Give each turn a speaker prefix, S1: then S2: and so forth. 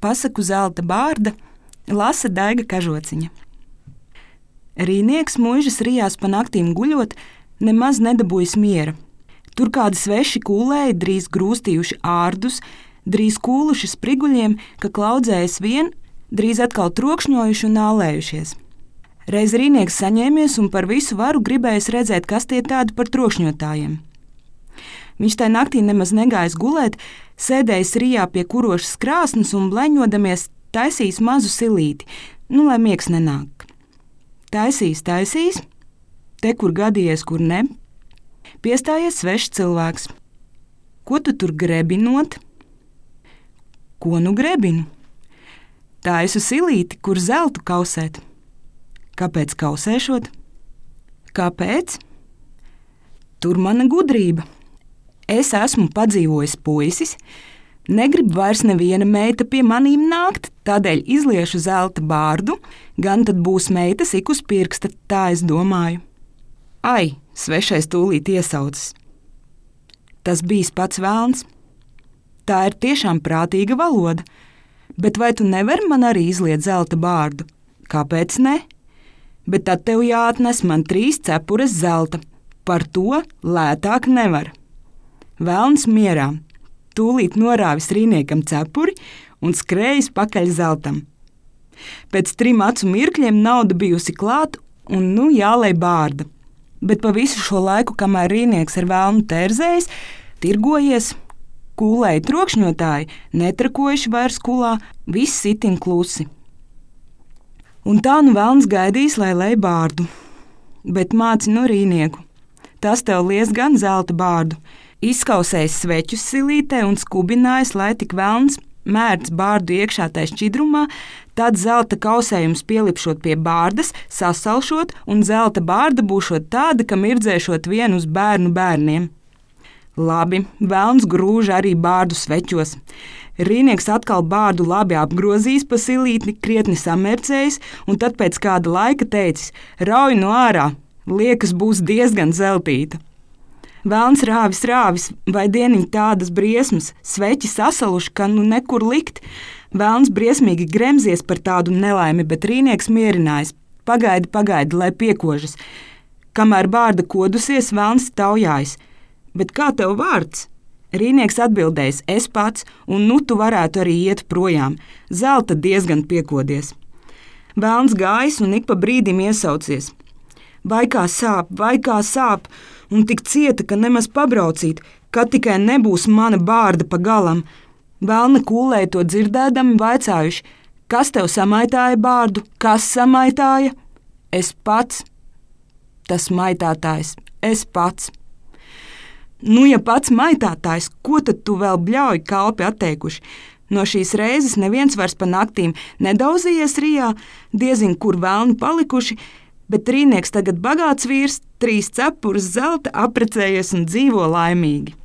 S1: pasaku zelta bārda lasa Daiga Kažociņa. Rīnieks muižas rijās pa naktīm guļot, nemaz nedabūjis miera. Tur kādi sveši kūlēji drīz grūstījuši ārdus, drīz kūluši spriguļiem, ka klaudzējas vien, drīz atkal trokšņojuši un ālējušies. Reiz rīnieks saņēmies un par visu varu gribējis redzēt, kas tie tādi par trokšņotājiem. Viņš tai naktī nemaz negājis gulēt, sēdējis rijā pie kurošas krāsnes un bleņodamies taisījis mazu silīti, lai miegs nenāk. Taisīs, te kur gadījies, kur ne. Piestājies svešs cilvēks. Ko tu tur grebinot? Ko nu grebinu? Taisu silīti, kur zeltu kausēt. Kāpēc kausēšot? Kāpēc? Tur mana gudrība. Es esmu padzīvojis puisis, negrib vairs neviena meita pie manīm nākt, tādēļ izliešu zelta bārdu, gan tad būs meitas ik uz pirksta, tā es domāju. Ai, svešais tūlīt iesaucas. Tas bijis pats velns. Tā ir tiešām prātīga valoda, bet vai tu nevari man arī izliet zelta bārdu? Kāpēc ne? Bet tad tev jāatnes man 3 cepures zelta, par to lētāk nevar. Velns mierā, tūlīt norāvis rīniekam cepuri un skrējis pakaļ zeltam. Pēc 3 acu mirkļiem nauda bijusi klāt un jālej bārda. Bet pa visu šo laiku, kamēr rīnieks ar velnu tērzējis, tirgojies, kūlēji trokšņotāji, netrakojuši vairs kulā, viss itin klusi. Un tā velns gaidīs, lai lej bārdu. Bet māci rīnieku, tas tev lies gan zelta bārdu, izkausējis sveķus silītē un skubinājis, lai tik velns mērts bārdu iekšā tai šķidrumā, tad zelta kausējums pielipšot pie bārdas, sasalšot un zelta bārda būšot tāda, ka mirdzēšot vien uz bērnu bērniem. Labi, velns grūž arī bārdu sveķos. Rīnieks atkal bārdu labi apgrozījis pa silīti, krietni samērcējis un tad pēc kāda laika teicis: rauj no ārā, liekas būs diezgan zeltīta. Velns rāvis, vai dieniņ tādas briesmas, sveķi sasaluši, ka nekur likt. Velns briesmīgi gremzies par tādu nelaimi, bet rīnieks mierinājis. Pagaidi, lai piekožas. Kamēr bārda kodusies, velns taujājis. Bet kā tev vārds? Rīnieks atbildējis: es pats, un tu varētu arī iet projām. Zelta diezgan piekodies. Velns gājis un ik pa brīdim iesaucies. Vai kā sāp, un tik cieta, ka nemaz pabraucīt, kad tikai nebūs mana bārda pa galam. Velna kūlēji to dzirdēdami vaicājuši: kas tev samaitāja bārdu, kas samaitāja? Es pats. Tas maitātājs, es pats. Ja pats maitātājs, ko tad tu vēl bļauji kalpi atteikuši? No šīs reizes neviens vairs pa naktīm nedauzījies rijā, diezin kur velni palikuši, bet rīnieks tagad bagāts vīrs, 3 cepures zelta, apprecējies un dzīvo laimīgi.